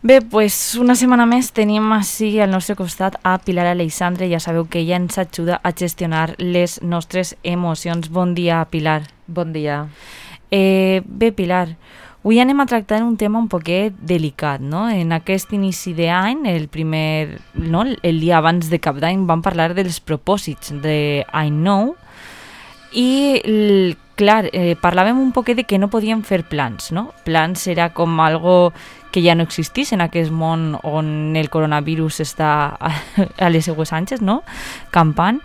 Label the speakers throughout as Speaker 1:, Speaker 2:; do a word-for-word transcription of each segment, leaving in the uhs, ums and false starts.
Speaker 1: Bé, pues una setmana més tenim així al nostre costat a Pilar Aleixandre. Ja sabeu que ella ens ajuda a gestionar les nostres emocions. Bon dia, Pilar.
Speaker 2: Bon dia.
Speaker 1: Eh, bé, Pilar, avui anem a tractar un tema un poquet delicat, no? En aquest inici d'any, el primer, no? el dia abans de Cap d'Any, vam parlar dels propòsits d'any nou i, el, clar, eh, parlàvem un poquet de que no podíem fer plans, no? Plans era com algo que ja no existís en aquest món on el coronavirus està a, a les seues anges, no? Campant.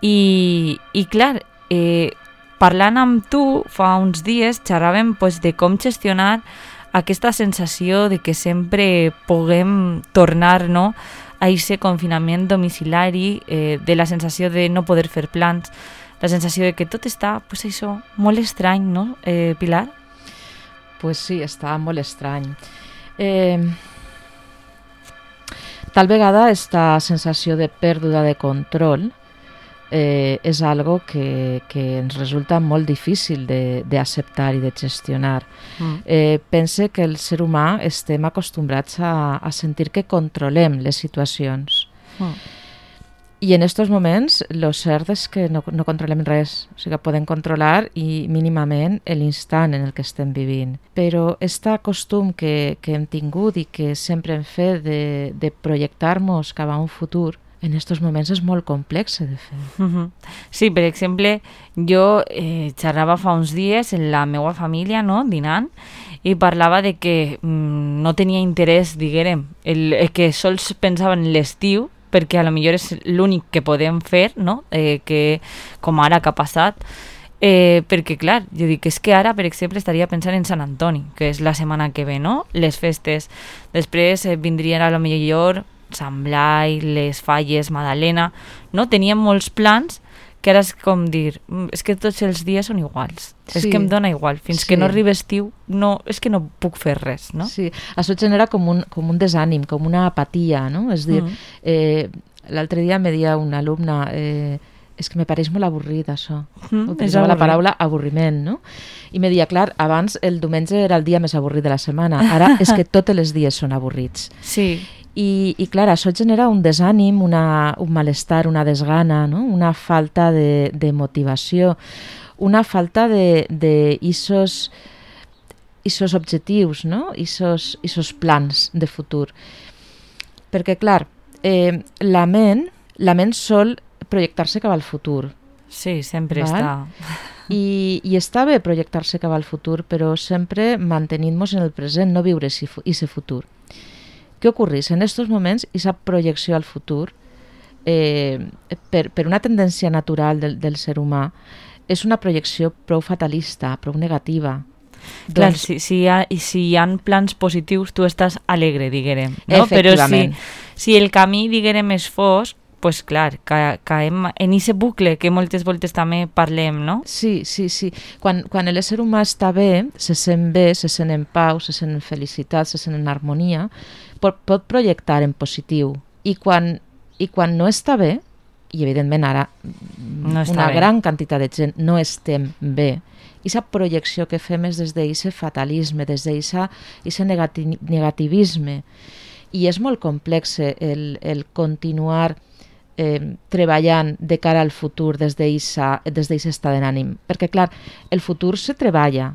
Speaker 1: I, i clar, eh, parlant amb tu fa uns dies xerràvem pues, de com gestionar aquesta sensació de que sempre puguem tornar, no, a aquest confinament domiciliari, eh, de la sensació de no poder fer plans, la sensació de que tot està, pues això, molt estrany, no, eh, Pilar?
Speaker 2: Pues sí, està molt estrany. Eh, tal vegada aquesta sensació de pèrdua de control eh, és algo que, que ens resulta molt difícil d'acceptar i de gestionar. Mm. Eh, pense que el ser humà estem acostumbrats a, a sentir que controlem les situacions. Mm. I en aquests moments el cert és que no, no controlem res, o sigui, podem controlar i mínimament l'instant en el que estem vivint. Però aquest costum que, que hem tingut i que sempre hem fet de, de projectar-nos cap a un futur, en aquests moments és molt complex de fer.
Speaker 1: Uh-huh. Sí, per exemple, jo eh, xerrava fa uns dies en la meva família, no?, dinant, i parlava de que mm, no tenia interès, diguem, el, el que sols pensava en l'estiu, perquè a lo millor és l'únic que podem fer, no? Eh, que, com ara que ha passat, eh, perquè clar, jo dic, és que ara, per exemple, estaria pensant en Sant Antoni, que és la setmana que ve, no? Les festes. Després eh, vindrien a lo millor Sant Blai, les Falles, Madalena, no? Teníem molts plans que ara és com dir, és que tots els dies són iguals, sí. És que em dona igual, fins sí. que no arriba estiu, no, és que no puc fer res, no?
Speaker 2: Sí, això genera com un, com un desànim, com una apatia, no? És dir, mm. eh, l'altre dia me deia una alumna, eh, és que me pareix molt avorrit això, mm, utilitzava la paraula avorriment, no? I me deia, clar, abans el diumenge era el dia més avorrit de la setmana, ara és que tots els dies són avorrits.
Speaker 1: Sí.
Speaker 2: I, i clar, això genera un desànim, una, un malestar, una desgana, no? Una falta de, de motivació, una falta de, de isos, isos objectius, no? Isos, isos plans de futur. Perquè clar, eh, la ment, la ment sol projectar-se cap al futur.
Speaker 1: Sí, sempre val? Està.
Speaker 2: I, I està bé projectar-se cap al futur, però sempre mantenint-nos en el present, no viure aquest futur. Què ocorreix? En aquests moments, aquesta projecció al futur, eh, per, per una tendència natural del, del ser humà, és una projecció prou fatalista, prou negativa.
Speaker 1: Clar, doncs, si, si, hi ha, si hi ha plans positius, tu estàs alegre, diguem. No? Però si, si el camí, diguem, és fosc, pues clar, ca, caem en aquest bucle que moltes voltes també parlem, no?
Speaker 2: Sí, sí, sí. Quan, quan l'ésser humà està bé, se sent bé, se sent en pau, se sent en felicitat, se sent en harmonia, pot, pot projectar en positiu. I quan, i quan no està bé, i evidentment ara no una bé. Gran quantitat de gent no estem bé, aquesta projecció que fem és des d'aquest fatalisme, des d'aquest negati, negativisme. I és molt complex el, el continuar Eh, treballant de cara al futur des d'aquest estat d'ànim, perquè clar, el futur se treballa,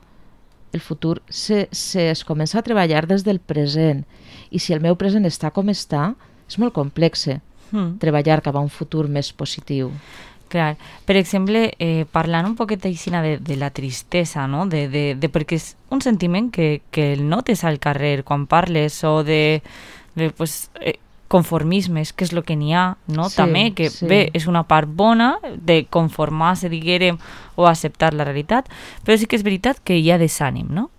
Speaker 2: el futur se, se es comença a treballar des del present, i si el meu present està com està, és molt complex mm. treballar cap a un futur més positiu.
Speaker 1: Clar, per exemple, eh, parlant un poquet aixina de, de la tristesa, no? de, de, de, perquè és un sentiment que, que el notes al carrer quan parles, o de, de pues, eh, conformismes, que és el que n'hi ha, no? Sí, també, que sí. Bé, és una part bona de conformar-se, diguem, o acceptar la realitat, però sí que és veritat que hi ha desànim, no?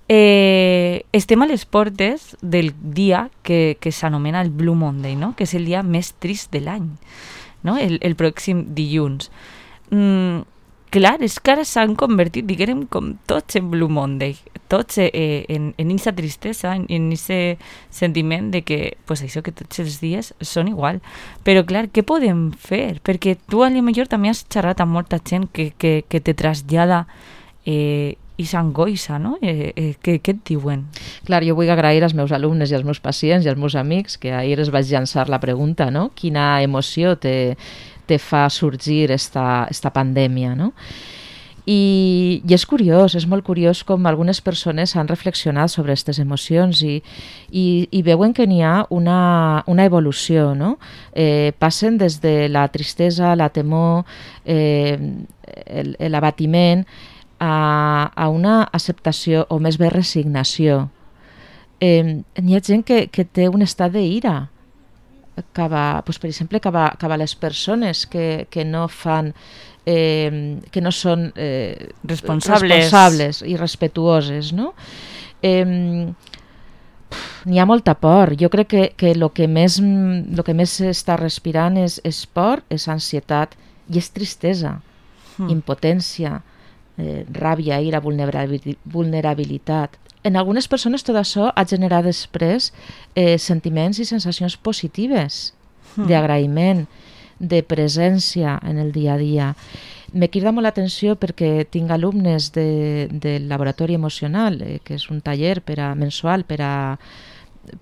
Speaker 1: Eh, estem a les portes del dia que, que s'anomena el Blue Monday, no? Que és el dia més trist de l'any, no? El, el pròxim dilluns. Mm, clar, és que ara s'han convertit, diguem, com tots en Blue Monday, tots eh, en aquesta tristesa, en aquest sentiment de que, pues això, que tots els dies són igual. Però clar, què podem fer? Perquè tu a lo millor també has xerrat amb molta gent que, que, que te trasllada eh, i s'angoixa, no? Eh, eh, què, què et diuen?
Speaker 2: Clar, jo vull agrair als meus alumnes i als meus pacients i als meus amics que ahir es vaig llançar la pregunta, no? Quina emoció te, te fa sorgir esta, esta pandèmia, no? I, I és curiós, és molt curiós com algunes persones han reflexionat sobre aquestes emocions i, i, i veuen que n'hi ha una, una evolució, no? Eh, passen des de la tristesa, la temor, eh, l'abatiment, a, a una acceptació o més bé resignació. Eh, n'hi ha gent que, que té un estat d'ira cap a, doncs, per exemple, cap a, cap a les persones que, que no fan Eh, que no són eh,
Speaker 1: responsables.
Speaker 2: responsables i respetuoses, no? Eh, n'hi ha molta por. Jo crec que, que el que més lo que més s'està respirant és, és por, és ansietat i és tristesa, mm. impotència, eh, ràbia, ira, vulnerabilitat. En algunes persones tot això ha generat després eh, sentiments i sensacions positives, mm. d'agraïment, de presència en el dia a dia. Me crida molt l'atenció perquè tinc alumnes de, del laboratori emocional, eh, que és un taller per a, mensual per a,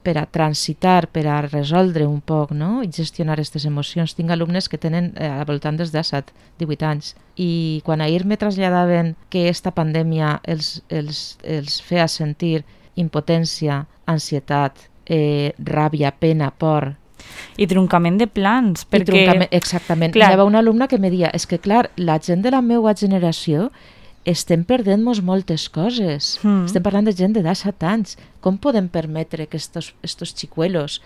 Speaker 2: per a transitar, per a resoldre un poc, no? I gestionar aquestes emocions. Tinc alumnes que tenen eh, al voltant dels disset, divuit anys. I quan ahir me traslladaven que esta pandèmia els, els, els feia sentir impotència, ansietat, eh, ràbia, pena, por,
Speaker 1: i truncament de plans, perquè...
Speaker 2: Truncament, exactament. Clar. Hi havia una alumna que me deia, és que clar, la gent de la meva generació estem perdent-nos moltes coses. Mm. Estem parlant de gent de disset anys. Com podem permetre que estos, estos xicuelos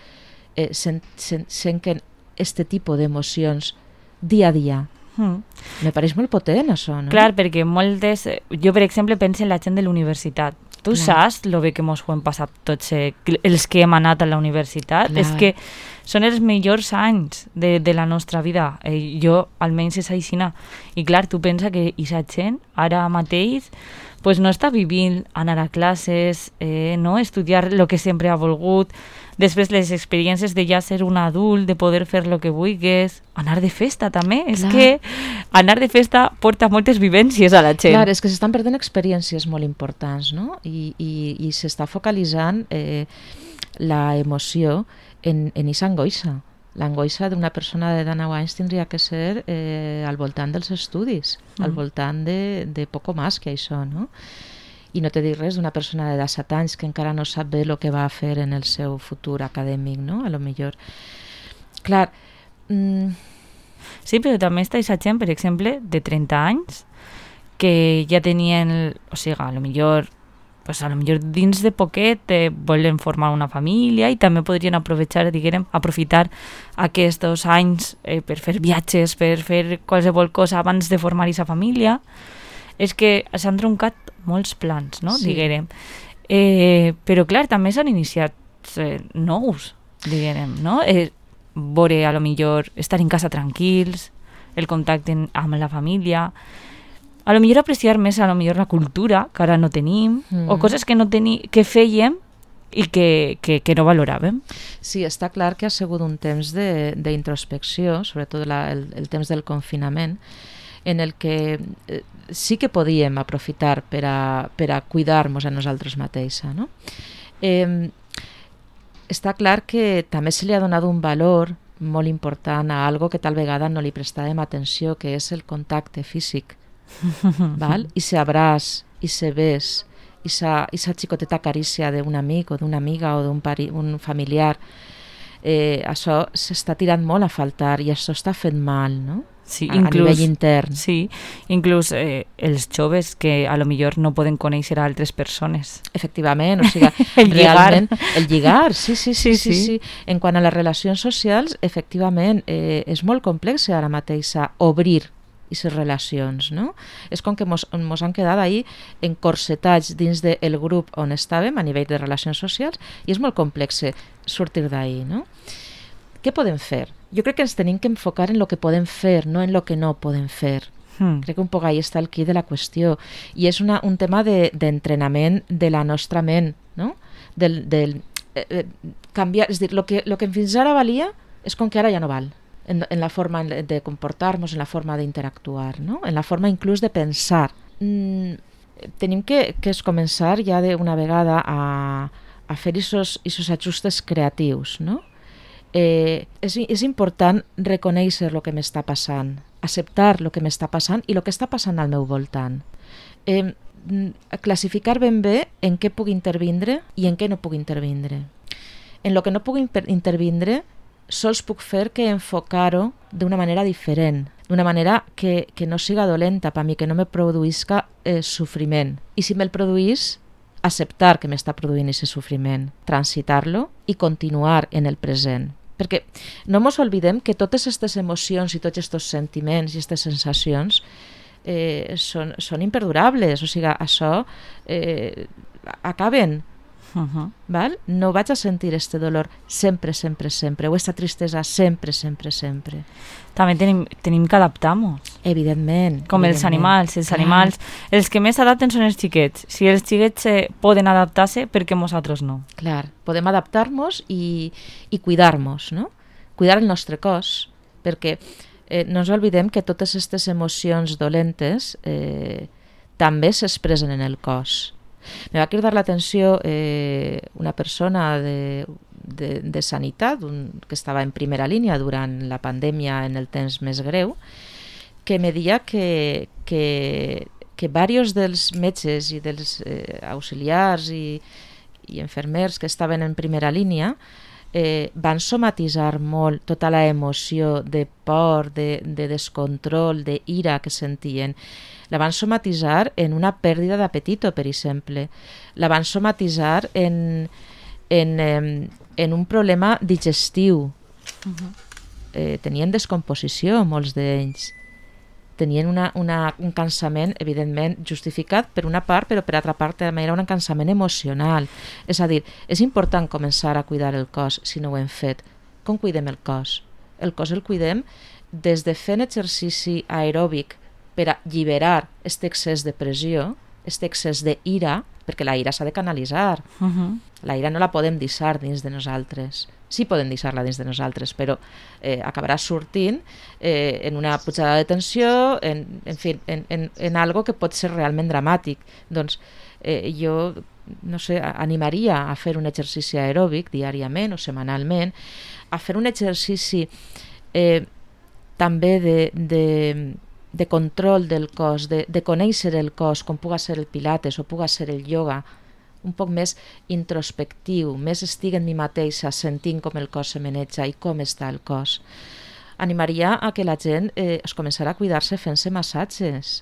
Speaker 2: eh, sen, sen, senquen este tipus d'emocions dia a dia? Mm. Me pareix molt potent, això, no?
Speaker 1: Clar, perquè moltes... Jo, per exemple, penso en la gent de l'universitat. Tu Clar. saps lo bé que mos ho hem passat tots eh, els que hem anat a la universitat? Clar. És que són els millors anys de, de la nostra vida. Eh, jo, almenys, és aixina. I clar, tu pensa que aquesta gent, ara mateix, pues, no està vivint anar a classes, eh, no? Estudiar el que sempre ha volgut, després les experiències de ja ser un adult, de poder fer el que vulguis, anar de festa també. Clar. És que anar de festa porta moltes vivències a la gent.
Speaker 2: Clar, és que s'estan perdent experiències molt importants, no? I, i, i s'està focalitzant eh, la emoció en, en aquesta angoixa. L'angoixa d'una persona de dinou anys tindria que ser eh, al voltant dels estudis, mm. al voltant de, de poco més que això, no? I no te dic res d'una persona de disset anys que encara no sap bé el que va fer en el seu futur acadèmic, no? A lo millor. Clar. Mm...
Speaker 1: Sí, però també està aquesta gent, per exemple, de trenta anys, que ja tenien, o sigui, a lo millor, pues a lo millor dins de poquet eh, volen formar una família i també podrien aprovechar, diguem, aprofitar aquests anys eh, per fer viatges, per fer qualsevol cosa abans de formar aquesta família. És que s'han troncat molts plans, no? Sí. Diguem. Eh, però clar, també s'han iniciat eh, nous, diguem, no? Eh, veure, a lo millor, estar en casa tranquils, el contacte amb la família, a lo millor apreciar més a lo millor la cultura, que ara no tenim, mm. o coses que no teni, que fèiem i que, que, que no valoràvem.
Speaker 2: Sí, està clar que ha sigut un temps d'introspecció, sobretot la, el, el temps del confinament, en el que eh, sí que podíem aprofitar per a, per a cuidar-nos a nosaltres mateixa, no? Eh, està clar que també se li ha donat un valor molt important a algo que tal vegada no li prestàvem atenció, que és el contacte físic. Val? I se abraç, i se bes, i sa, i sa xicoteta carícia d'un amic o d'una amiga o d'un un familiar. Eh, això s'està tirant molt a faltar i això està fent mal, no?
Speaker 1: Sí,
Speaker 2: a,
Speaker 1: inclús,
Speaker 2: a nivell intern.
Speaker 1: Sí, inclús eh, els joves que a lo millor no poden conèixer a altres persones.
Speaker 2: Efectivament, o sigui,
Speaker 1: el
Speaker 2: realment,
Speaker 1: lligar.
Speaker 2: El lligar, sí sí sí, sí,
Speaker 1: sí,
Speaker 2: sí, sí. En quant a les relacions socials, efectivament, eh, és molt complex ara mateix obrir aquestes relacions, no? És com que mos, mos han quedat ahí encorsetats dins del grup on estàvem a nivell de relacions socials i és molt complex sortir d'ahí, no? Què podem fer? Jo crec que ens tenim que enfocar en el que podem fer, no en el que no podem fer. Hmm. Crec que un poc ahí està el quid de la qüestió. I és una, un tema d'entrenament de, de la nostra ment, no? Del, del, eh, canviar, és a dir, el que, lo que fins ara valia és com que ara ja no val. En, en la forma de comportar-nos, en la forma d'interactuar, no? En la forma inclús de pensar. Mm, tenim que, que es començar ja d'una vegada a, a fer aquests ajustes creatius, no? Eh, és, és important reconèixer el que m'està passant, acceptar el que m'està passant i el que està passant al meu voltant. Eh, classificar ben bé en què puc intervindre i en què no puc intervindre. En el que no puc intervindre sols puc fer que enfocar-ho d'una manera diferent, d'una manera que, que no siga dolenta per mi, que no me produïsca eh, sofriment. I si me'l produís, acceptar que m'està produint aquest sofriment, transitar-lo i continuar en el present. Perquè no ens oblidem que totes aquestes emocions i tots aquests sentiments i aquestes sensacions eh, són, són imperdurables, o sigui, això eh, acaben. Uh-huh. Val? No vaig a sentir este dolor sempre, sempre, sempre, o esta tristesa sempre, sempre, sempre.
Speaker 1: També tenim, tenim que adaptar-nos.
Speaker 2: Evidentment.
Speaker 1: Com
Speaker 2: evidentment.
Speaker 1: els animals. Els
Speaker 2: Clar.
Speaker 1: animals, els que més s'adapten són els xiquets. Si els xiquets eh, poden adaptar-se, per què nosaltres no?
Speaker 2: Clar, podem adaptar-nos i, i cuidar-nos, no? Cuidar el nostre cos, perquè eh, no ens oblidem que totes aquestes emocions dolentes eh, també s'expressen en el cos. Me va cridar l'atenció eh, una persona de, de, de sanitat un, que estava en primera línia durant la pandèmia en el temps més greu, que me deia que, que, que diversos dels metges i dels eh, auxiliars i, i infermers que estaven en primera línia eh, van somatitzar molt tota la emoció de por, de, de descontrol, de ira que sentien. La van somatitzar en una pèrdua d'apetito, per exemple. La van somatitzar en, en, en, en un problema digestiu. Uh-huh. Eh, tenien descomposició, molts d'ells. Tenien una, una, un cansament, evidentment, justificat per una part, però per altra part també era un cansament emocional. És a dir, és important començar a cuidar el cos si no ho hem fet. Com cuidem el cos? El cos el cuidem des de fent exercici aeròbic per a alliberar aquest excés de pressió, aquest excés d'ira, perquè la ira s'ha de canalitzar. Uh-huh. La ira no la podem deixar dins de nosaltres. Sí podem deixar-la dins de nosaltres, però eh, acabarà sortint eh, en una pujada de tensió, en, en fi, en, en, en algo que pot ser realment dramàtic. Doncs eh, jo, no sé, animaria a fer un exercici aeròbic diàriament o setmanalment, a fer un exercici eh, també de... de de control del cos, de, de conèixer el cos, com puga ser el pilates o puga ser el ioga, un poc més introspectiu, més estic en mi mateixa, sentint com el cos se maneja i com està el cos. Animaria a que la gent eh, es començarà a cuidar-se fent-se massatges.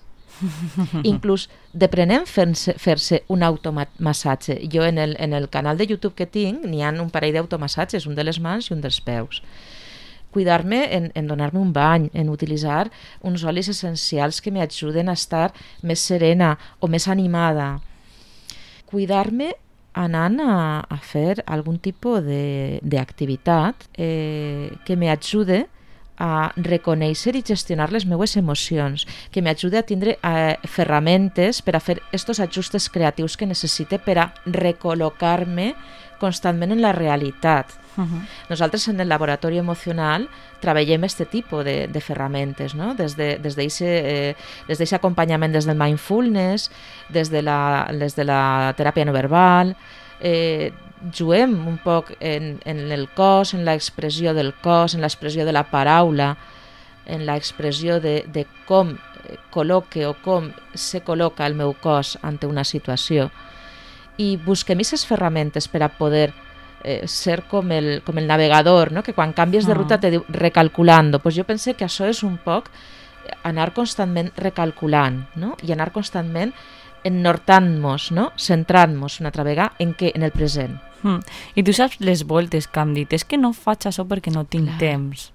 Speaker 2: Inclús deprenent fer-se, fer-se un automassatge. Jo en el, en el canal de YouTube que tinc n'hi ha un parell d'automassatges, un de les mans i un dels peus. Cuidar-me en, en donar-me un bany, en utilitzar uns olis essencials que m'ajuden a estar més serena o més animada. Cuidar-me anant a, a fer algun tipus d'activitat eh, que m'ajude a reconèixer i gestionar les meues emocions, que m'ajude a tindre eh, ferramentes per a fer estos ajustes creatius que necessite per a recol·locar-me constantment en la realitat. Uh-huh. Nosaltres en el laboratori emocional treballem aquest tipus de, de ferramentes, no? Des de, des d'aquest eh, des d'aquest acompanyament des del mindfulness, des de la, des de la teràpia no verbal, eh, juguem un poc en, en el cos, en l'expressió del cos, en l'expressió de la paraula, en l'expressió de, de com col·loque o com se col·loca el meu cos ante una situació. I busquem aquestes ferramentes per a poder eh, ser com el, com el navegador, no? Que quan canvies de ruta te diu recalculando. Pues jo pense que això és un poc anar constantment recalculant, no? I anar constantment ennortant-nos, no? Centrant-nos una altra vegada en, què? En el present.
Speaker 1: Mm. I tu saps les voltes que hem dit, és que no faig això perquè no tinc Clar. temps.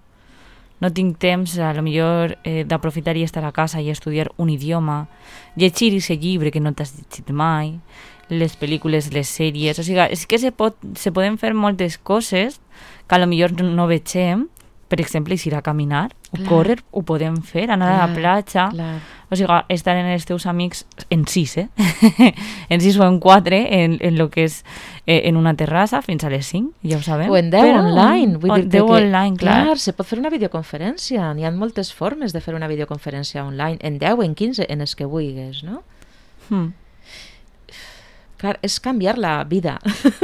Speaker 1: No tinc temps, a lo millor, eh, d'aprofitar i estar a casa i estudiar un idioma, llegir aquest llibre que no t'has llegit mai, les pel·lícules, les sèries, o sigui, és que se, pot, se poden fer moltes coses que a lo millor no vegem, per exemple, ir a caminar, o clar. córrer, ho podem fer, anar clar, a la platja, clar. o sigui, estar en els teus amics en sis, eh? en sis o en quatre, en, en lo que és eh, en una terrassa, fins a les cinc, ja ho sabem.
Speaker 2: O en deu Però, online. Vull
Speaker 1: o
Speaker 2: dir
Speaker 1: deu
Speaker 2: que,
Speaker 1: online, clar.
Speaker 2: clar. Se pot fer una videoconferència, n'hi ha moltes formes de fer una videoconferència online, en deu, en quinze, en els que vulguis, no?
Speaker 1: Hmm.
Speaker 2: clar, és canviar la vida.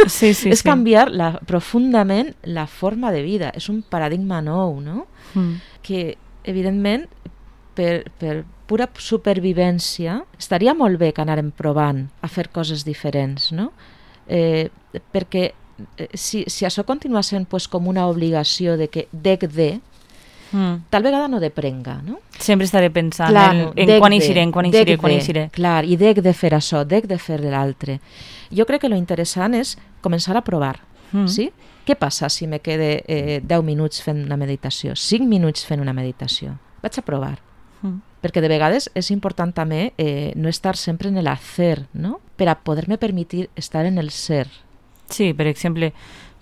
Speaker 1: Sí, sí,
Speaker 2: és
Speaker 1: sí.
Speaker 2: canviar la, profundament la forma de vida. És un paradigma nou, no?
Speaker 1: Mm.
Speaker 2: Que, evidentment, per, per pura supervivència, estaria molt bé que anàrem provant a fer coses diferents, no? Eh, perquè eh, si, si això continua sent pues, com una obligació de que dec de,
Speaker 1: Mm.
Speaker 2: tal vegada no deprenga, no?
Speaker 1: Sempre estaré pensant
Speaker 2: Clar,
Speaker 1: en, en
Speaker 2: dec
Speaker 1: quan
Speaker 2: de,
Speaker 1: eixiré, en quan
Speaker 2: dec
Speaker 1: eixiré, quan
Speaker 2: de,
Speaker 1: eixiré.
Speaker 2: Clar, i dec de fer això, dec de fer l'altre. Jo crec que lo interessant és començar a provar,
Speaker 1: Mm.
Speaker 2: sí? Què passa si me quede eh, deu minuts fent una meditació, cinc minuts fent una meditació? Vaig a provar.
Speaker 1: Mm.
Speaker 2: Perquè de vegades és important també eh, no estar sempre en el hacer, no? Per a poder-me permitir estar en el ser.
Speaker 1: Sí, per exemple,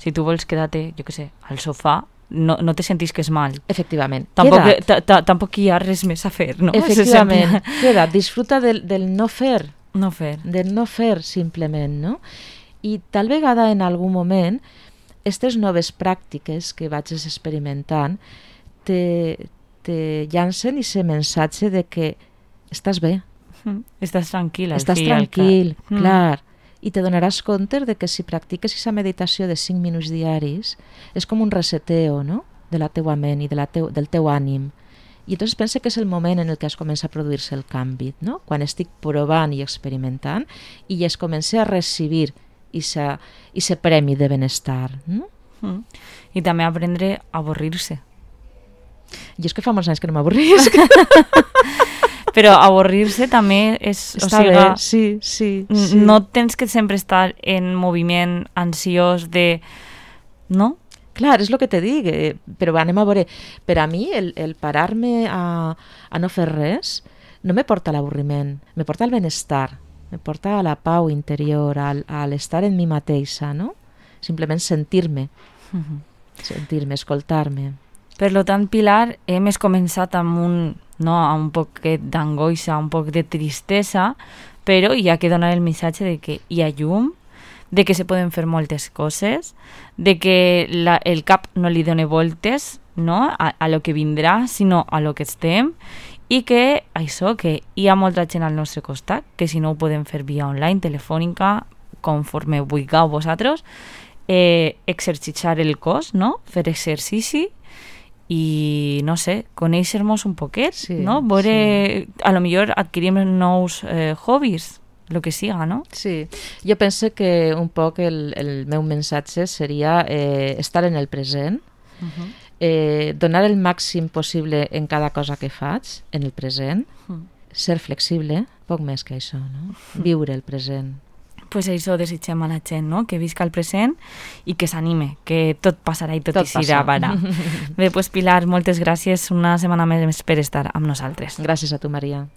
Speaker 1: si tu vols quedar-te, jo què sé, al sofà, no, no te sentis que és mal.
Speaker 2: Efectivament.
Speaker 1: Tampoc,
Speaker 2: Queda't.
Speaker 1: ta, ta, tampoc hi ha res més a fer, no?
Speaker 2: Efectivament.
Speaker 1: Se sent-
Speaker 2: Queda't, disfruta del, del no fer,
Speaker 1: No fer.
Speaker 2: del no fer simplement, no? I tal vegada en algun moment aquestes noves pràctiques que vaig experimentant te, te llancen aquest missatge de que estàs bé,
Speaker 1: Mm. Estàs tranquil. al
Speaker 2: estàs
Speaker 1: fi i al cap.
Speaker 2: tranquil,
Speaker 1: Mm.
Speaker 2: clar, i te donaràs compte de que si practiques aquesta meditació de cinc minuts diaris és com un reseteo, no?, de la teua ment i de la teu, del teu ànim. I entonces pensa que és el moment en el que es comença a produir-se el canvi, no? Quan estic provant i experimentant i es comença a recibir aquest premi de benestar. No?
Speaker 1: Mm. I també aprendre a avorrir-se.
Speaker 2: Jo és que fa molts anys que no m'avorrisc.
Speaker 1: Però avorrir-se també és...
Speaker 2: Està
Speaker 1: o sigui,
Speaker 2: bé, sí, sí,
Speaker 1: n-
Speaker 2: sí.
Speaker 1: No tens que sempre estar en moviment ansiós de... No?
Speaker 2: Clar, és el que te dic, eh, però anem a veure. Per a mi, el, el parar-me a, a no fer res no me porta a l'avorriment, me porta al benestar, me porta a la pau interior, al, a l'estar en mi mateixa, no? Simplement sentir-me,
Speaker 1: Mhm.
Speaker 2: sentir-me, escoltar-me.
Speaker 1: Per lo tant, Pilar, hem començat amb un, no, amb un poquet d'angoixa, un poc de tristesa, però hi ha que donar el missatge de que hi ha llum, de que se poden fer moltes coses, de que la, el cap no li dona voltes, no, a, a lo que vindrà, sinó a lo que estem, i que això, que hi ha molta gent al nostre costat, que si no ho podem fer via online, telefònica, conforme vulgueu vosaltres, eh, exercitar el cos, no? Fer exercici i, no sé, conèixer-nos un poquet,
Speaker 2: Sí,
Speaker 1: no? Veure, a lo millor adquirim nous eh, hobbies, lo que siga, no?
Speaker 2: Sí, jo penso que un poc el, el meu missatge seria eh, estar en el present,
Speaker 1: Uh-huh.
Speaker 2: eh, donar el màxim possible en cada cosa que faig, en el present,
Speaker 1: Mm.
Speaker 2: ser flexible, poc més que això, no? Viure el present.
Speaker 1: Pues això desitgem a la gent, no? Que visca el present i que s'anime, que tot passarà i tot,
Speaker 2: Tot
Speaker 1: tot eixirà
Speaker 2: passa.
Speaker 1: bara. Bé, pues Pilar, moltes gràcies una setmana més per estar amb nosaltres.
Speaker 2: Gràcies a tu, Maria.